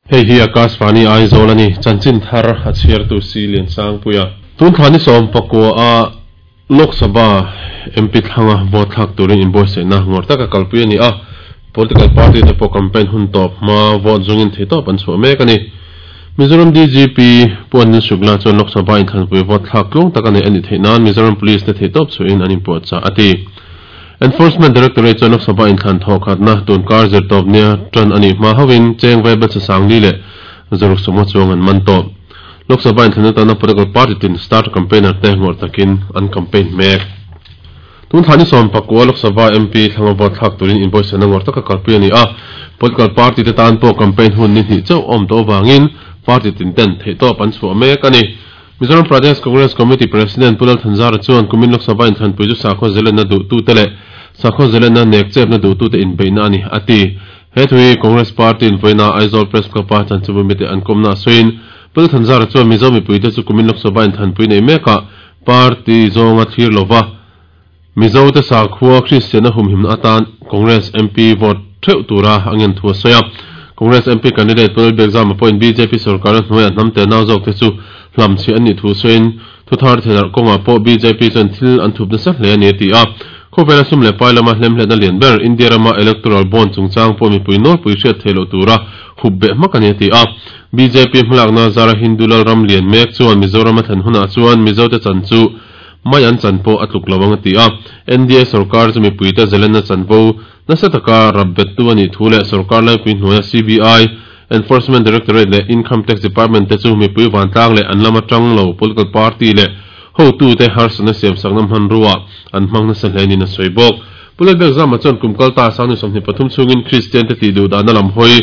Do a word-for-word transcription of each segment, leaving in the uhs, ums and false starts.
Hei hi Akashvani Aizawl ani chanchin thar a chhiar tu si lian sang puia tun thani som pakua a Lok Sabha M P thlanga vote thlak turin invoice na ngor taka kalpui ani a political party te po campaign hun top ma vote zungin theitop an chu mek ani Mizoram D G P Puan Shukla chuan Lok Sabha in thlanpui vote thlak tlung taka nei ani theinan Mizoram Police te theitop chu in an inpuah cha ati Enforcement Directorate chuan Lok Sabha in thlan thaw khatna tun kar zir tawp nia tan ani hma hawin cheng vai bel sang li le zaruk sawma chuang an man tawp Lok Sabha in thlan atana political party tin start campaigner te ngor takin an campaign mek tun thani som pakua Lok Sabha M P thlanga vote thlak turin invoice na ngor taka kalpui ani a political party te tan pawh campaign hun ni hnih chauh awm tawh wangin party tin ten theitawp an chhuah mek ani Mizoram Pradesh Congress Committee President Pulal Thanzara chuan kumin Lok Sabha in thlanpui chu sakhaw zelenna duh tu te leh sakhaw zelenna nek chepna duh tu te inbeihna ani ati he thui Congress Party in voina Aizawl Press Club a chanchubu mite an kawmna sawiin Pulal Thanzara chuan Mizo mipuite chu kumin Lok Sabha in thlanpui nei meka party zawnga thlir lova Mizo te sakhua Christian a humhimna atan Congress M P vote theuh tura angen thu a sawi a Congress M P candidate Pulal Biakzama pawhin B J P sarkar hnuaiah hnam te nau zawk te chu hlam chi ani thu sawiin thu thar thelar kawnga pawh B J P chuan thil an thup nasa hle ani ti a khawvela sum leh pai lama hlemhletna lian ber India rama electoral bond chungchang pawh mipui nawlpui hriat theih loh tura hup beh hmak ani ti a B J P hmalakna zara Hindu lal ram lian mek chuan Mizoram a thlan hunah chuan Mizo te chan chu mai an chan pawh a tluk lo ang ti a N D A sarkar chu mipui te zelenna chanvo nasa taka rabbet tu ani thu leh sarkar laipui hnuaia C B I Enforcement Directorate le Income Tax Department te chu mipui vantlang leh an lama tang lo political party le ho tu te harsana siam saknam han ruwa an hmang nasa hle ni na sawi bawk Pulal Biakzama chuan kumkal ta sangni sawmhnih pathum chungin Christian te ti duh dahna lam hawi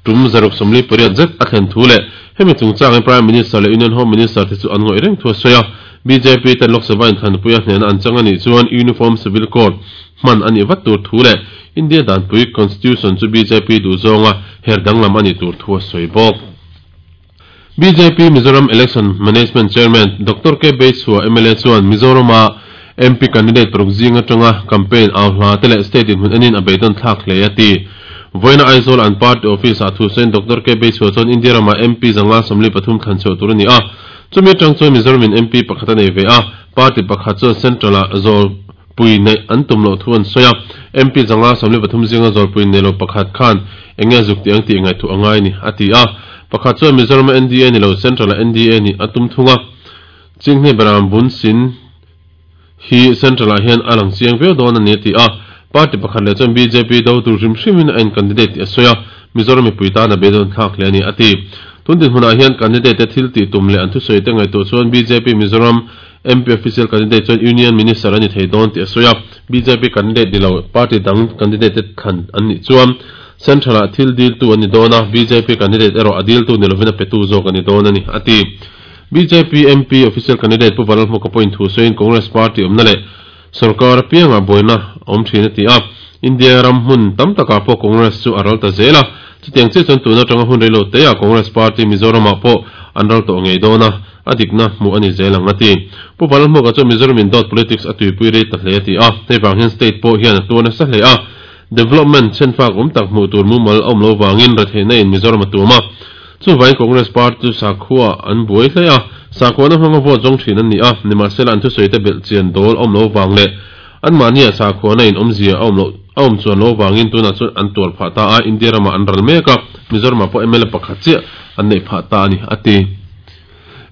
tum zaruk sawmli pariat zet a thlen thu leh hemi chungchangin Prime Minister leh Union Home Minister te chu an ngawih reng thu a sawi a B J P ten Lok Sabha in thlanpui a hnena an chang ani chuan Uniform Civil Code hman ani vat tur thu leh India danpui Constitution chu B J P duh zawnga her danglam ani tur thu a sawi bawk B J P Mizoram Election Management Chairman Doctor K Beichhua M L A chuan Mizorama M P candidate paruk zinga tanga campaign au hla te leh state in hun anin a beidon thlak hle a ti voina Aizawl an party office a thu sawiin Doctor K Beichhua chuan India rama M P zanga sawmli pathum thlan chhuah tur ani a chumi atang chuan Mizoram in M P pakhat a nei ve a party pakhat chuan central a zawl pui nei an tum loh thu an sawi a M P zanga sawmli pathum zinga zawl pui nei lo pakhat khan enge zuk ti ang tih ngaih thu angai ni a ti a pakhat chuan Mizoram N D A ni lo central a N D A ni a tum thunga chinghne beram bun sin hi central ah hian a lang chiang viau dawn ani ti a party pakhat leh chuan B J P do tur hrim hrimin a in candidate ti a sawi a Mizoram mipui tan a beidawn thlak hle ani a ti tun din hmunah hian candidate te thil tih tum leh an thusawi te ngaihtuah chuan B J P Mizoram M P official candidate chuan Union Minister ani thei dawn ti a sawi a B J P candidate ni lo party dang candidate te thlan an nih chuan central ah thil dil tu ani dawn a B J P candidate erawh a dil tu ni lovin a petu zawk ani dawn ani a ti B J P M P official candidate Pu Vanlal Hmuka pawhin thu sawiin Congress Party awmna leh sarkar pianga buaina awm thin a ti a India ram hmun tam takah pawh Congress chu a ral ta zel a chutiang chiah chuan tuna atanga hun reilo te a Congress Party Mizoramah pawh an ral tawh ngei dawn a a dikna hmuh ani zel ang a ti Pu Vanlal Hmuka chuan Mizoram in dawt politics a tuipui rei ta hle a ti a hei vang hian state pawh hian a tuar nasa hle a development chenfak awm tak hmuh tur mumal awm lo wangin ratheihna in Mizoram a tuam a chu vain Congress Party chu sakhua an buai hle a sakhuana hmanga vote zawng thin an ni a nimahsela an thusawi te belh chian dawl awm lo wang leh an mahni a sakhuana in awmzia a awm lo a awm chuan lo wangin tunah chuan an tuar phah ta a India rama an ral mek a Mizoram pawh M L A pakhat chiah an nei phah ta ani a ti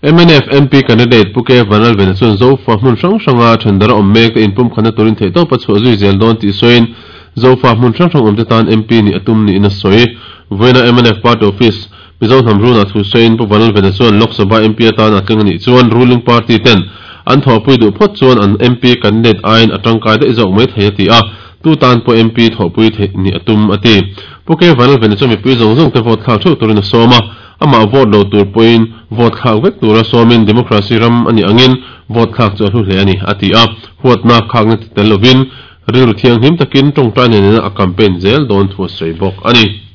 M N F M P candidate Pu K Vanlalvena chuan Zofa hmun hrang hranga thendara awm mek te inpum khana turin theihtawp a chhuah zui zel dawn tih sawiin Zofa hmun hrang hrang awm te tan M P ni a tum niin a sawi voina M N F party office Mizo hnam runa thu sawiin Pu Vanlalvena chuan Lok Sabha M P atan a tling anih chuan ruling party ten an thawhpui duh phawt chuan an M P candidate aiin a tangkai daih zawk mai thei a ti a tu tan pawh M P thawhpui theih ni a tum a ti Pu K Vanlalvena chuan mipui zawng zawng te vote thlak theuh turin a sawm a amah vote lo tur pawhin vote thlak vek tura sawmin democracy ram ani angin vote thlak chu a hlu hle ani a ti a huatna khakna ti tel lovin rilru thianghlim takin tawngtai nen a campaign zel dawn thu a sawi bawk ani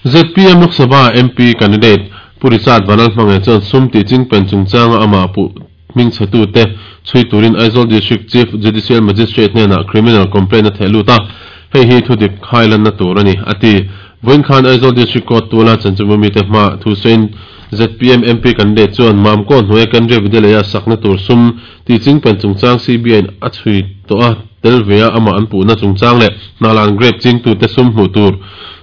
Z P M Lok Sabha M P candidate Pu Richard Vanlal Hmangaih chuan sum ti chingpen chungchanga amah pu hming chhetu te chhui turin Aizawl District Chief Judicial Magistrate hnenah criminal complaint a theh lut a hei hi thu dik khailan na tur ani a ti Voin khan Aizawl District Court tula chanchimumi te hma thu sein Z P M M P candidate chuan mam ko hnuai Kendriya Vidyalaya sakna tur sum ti ching pen chungchang C B I in a chhui to a telvea ama an pu na chungchang le hnalan grape ching tu te sum hmu tur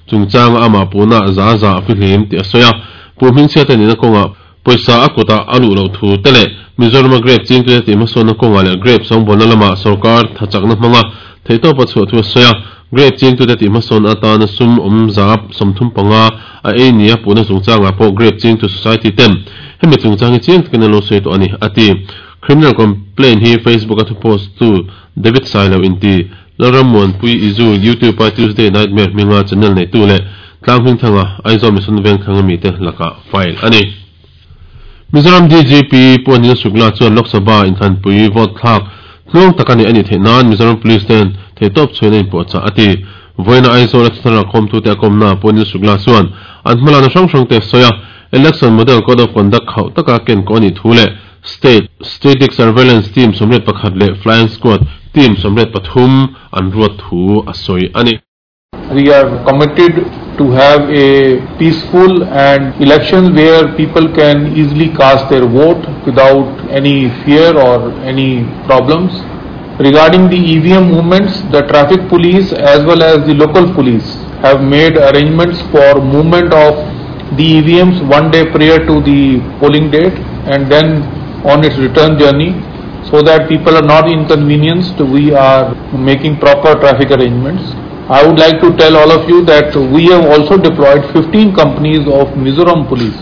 chungchang ama pu na za za fi hlim ti a soya pu hming chhiat ani na kawnga poisa a kuta alu lo thu te le Mizoram grape ching tu te ti hmasawn na kawnga le grape sawngbawl lama sarkar thachakna hmanga theitawp a chhuah thu a soya grape ching tu te ti hmasawn atana sum awm zap sawmthum panga a ei nia puna chungchanga pawh grape ching tu society ten hemi chungchang hi chiang takin an lo sawi tawh ani ati criminal complaint hi Facebook a thu post tu David Sailo inti Lalram Pui Izu YouTube a Tuesday Nightmare hminga channel nei tu le tlang hming thanga Aizawl Mission Veng thanga mi te laka file ani Mizoram D G P Pu Anil Shukla chuan Lok Sabha inthlanpui vote thlak tluang tak ani ani theihnan Mizoram Police ten theitawp chhuina inpuahchah ati voina Aizawl a thara khawm tu te a kawmna Pu Anil Shukla chuan an hmalana hrang hrang te soya Election Model Code of Conduct khauh taka ken ko ani thu le State Static Surveillance Team somret pakhat le Flying Squad Team somret pathum an ruat thu a sawi ani. We are committed to have a peaceful and election where people can easily cast their vote without any fear or any problems. Regarding the E V M movements, the traffic police as well as the local police have made arrangements for movement of the E V Ms one day prior to the polling date and then on its return journey, so that people are not inconvenienced. We are making proper traffic arrangements. I would like to tell all of you that we have also deployed fifteen companies of Mizoram Police.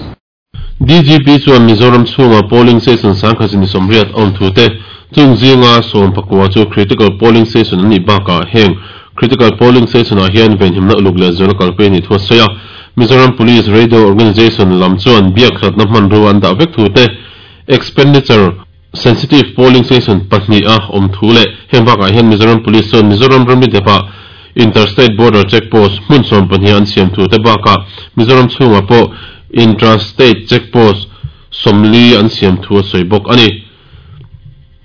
D G P chuan Mizoram chhunga polling station sangkha ni somriat awm thu te chungzinga sawm pakua chu critical polling station ani baka heng critical polling station ah hian venhimna uluk leh zual kalpui ni thu a sawi a Mizoram Police Radio Organization lam chuan biak hlatna hman ru an dah vek thu te expenditure sensitive polling station pahnih a awm thu leh heng bakah hian Mizoram Police chuan Mizoram ramri depa interstate border checkpost hmun sawm pahnih an siam thu te bakah Mizoram chhunga pawh intrastate checkpost sawmli an siam thu a sawi bawk ani.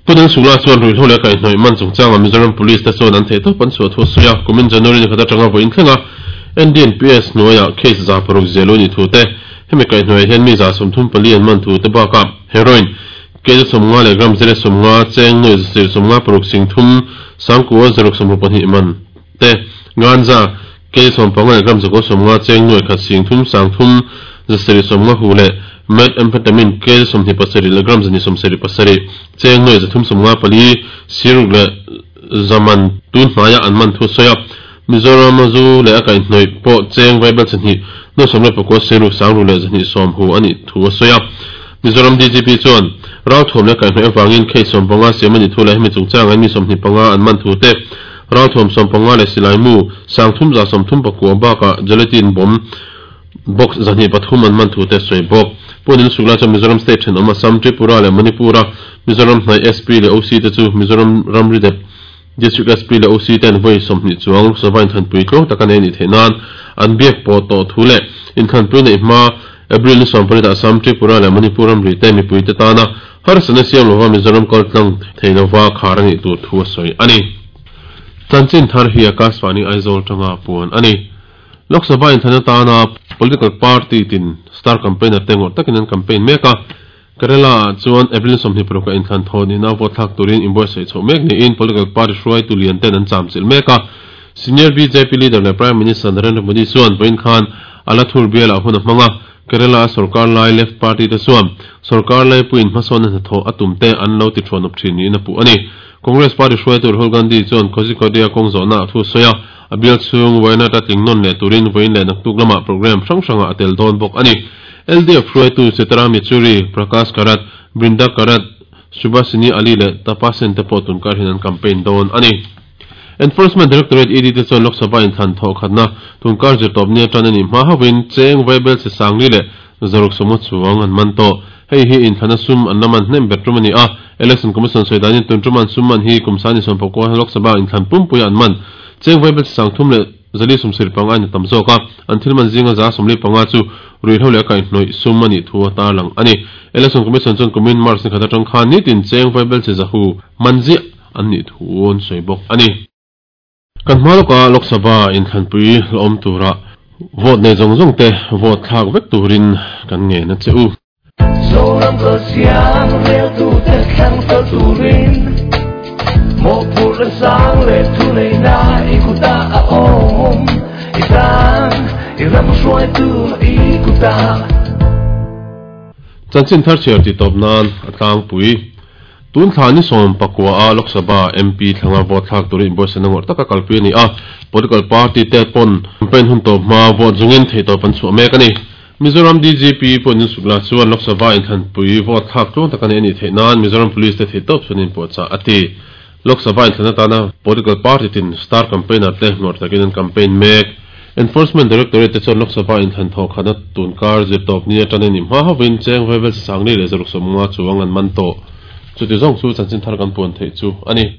Punan Shukla chuan ruihhlo leh kaihhnawih man chungchanga Mizoram Police te chuan an theitawp an chhuah thu a sawi a kumin January ni khat atanga vawiin thlenga N D N P S hnuaiah case za paruk zelu ni thu te hemi kaihhnawih hian mi za sawmthum pali an man thu te bakah heroin kg sawmnga leh gram zere sawmnga cheng nuai zasir sawmnga paruk singthum sangkua zaruk sawmruk pahnih man te ganja kg sawmpanga leh gram zakua sawmnga cheng nuai khat singthum sangthum zasiri sawmnga hu leh methamphetamine kg sawmhnih pasarih leh gram zani sawmsarih pasarih cheng nuai zathum sawmnga pali siruk leh zaman tun hnaia an man thu sawi a Mizoram zu leh a kaihhnawih pawh cheng vaibel chahnih nuai sawmriat pakua siruk sangru leh zahnih sawm hu ani thu a sawi a Mizoram D G P chuan rau thuam leh kaihhnawih avangin case sawmpanga siam ani thu leh hemi chungchang an mi sawmhnih panga an man thu te rau thuam sawmpanga leh silai mu sangthum za sawmthum pakua bakah gelatin bomb box zahnih pathum an man thu te sawi bawk Pu Anil Shukla chuan Mizoram State thenawm Assam Tripura leh Manipura Mizoram hnai S P leh O C te chu Mizoram ramri dep District S P leh O C ten vawi sawmhnih chuang Lok Sabha inthlanpui tluang taka nei ni theihnan an biak pawh tawh thu leh inthlanpui neih hma April ni sawmpariat Assam Tripura leh Manipur ramri te mipui te tana harsatna siam lova Mizoram kaltlang thei lova khar ani tur thu a sawi ani. Chanchin thar hi Akashvani Aizawl tanga puan ani. Lok Sabha inthlanna tana political party tin star campaigner te ngawr takin an campaign mek a Kerala chuan April sawmhnih paruk a inthlan thaw nina vote thlak turin inbuatsaih chhoh mek niin political party hruai tu lian ten an cham chilh mek a Senior B J P leader leh Prime Minister Narendra Modi chuan vawiin khan Alathur bialah hun a hmang a Kerala sarkar lai left party te chuan sarkar lai puin hmasawn a hnathawh a tum te an lo ti thuan awp thin niin a puh ani. Congress party hruai tur Rahul Gandhi chuan Kozhikode a kawng zawhna a thu sawi a a bial chhung Wayanad a tling nawn leh turin vawiin leh naktuk lama program hrang hranga a tel dawn bawk ani. L D F hruai tu Sitaram Yechury, Prakash Karat, Brinda Karat, Subhashini Ali leh Tapasen te pawh tunkar hian an campaign dawn ani. Enforcement Directorate E D te chuan Lok Sabha inthlan thawh khatna tunkar zirtawp ni atan ani hma hawin cheng vaibel che sangli leh zaruk sawmnga chuang an man tawh. Hei hi inthlanna sum an laman hnem ber tum ani a Election Commission sawi danin tun tuman sum man hi kumsani sawmpakua Lok Sabha inthlan pumpui an man cheng vaibel che sangthum leh zali sawmsarih panga ani tam zawk a an thil man zinga za sawmli panga chu ruihhlo leh kaihhnawih sum ani thu a tarlang ani. Election Commission chuan kumin March ni khat atang khan nitin cheng vaibel che zahu manzi an ni thu an sawi bawk ani. Kan hma lawka Lok Sabha inthlanpui hlawm tura Vote nei zawng zawng te vote thlak vek turin kan nge na che u. Zoram ko siang rel tu te thlang fel turin mo pur sang le tu nei na i kuta a om i tang i ram hruai tu i kuta. Chanchin thar chhiar ti tawp nan a tlangpui tun thla ni sawm pakua a Lok Sabha M P thlanga vote thlak turin inbuatsaihna ngawrh taka kalpui a ni a. Political party te pawn campaign hun tawp hma vote zungin thei tawp an chhuah mek a ni. Mizoram D G P pawhin Sukla chuan Lok Sabha inthlanpui vote thlak tluang taka nei a nih theih nan Mizoram Police te thei tawp chuan inpuahchah a ti. Lok Sabha inthlan atana political party tin star campaigner te ngawrh takin an campaign mek. Enforcement Directorate te chuan Lok Sabha inthlan thawh khana tunkar zir tawp ni atangin ni hma hovin cheng vevel sangli leh zaruk sawmnga chuang an man tawh. Chuti zawng chu chanchin thar kan puan theih chu ani.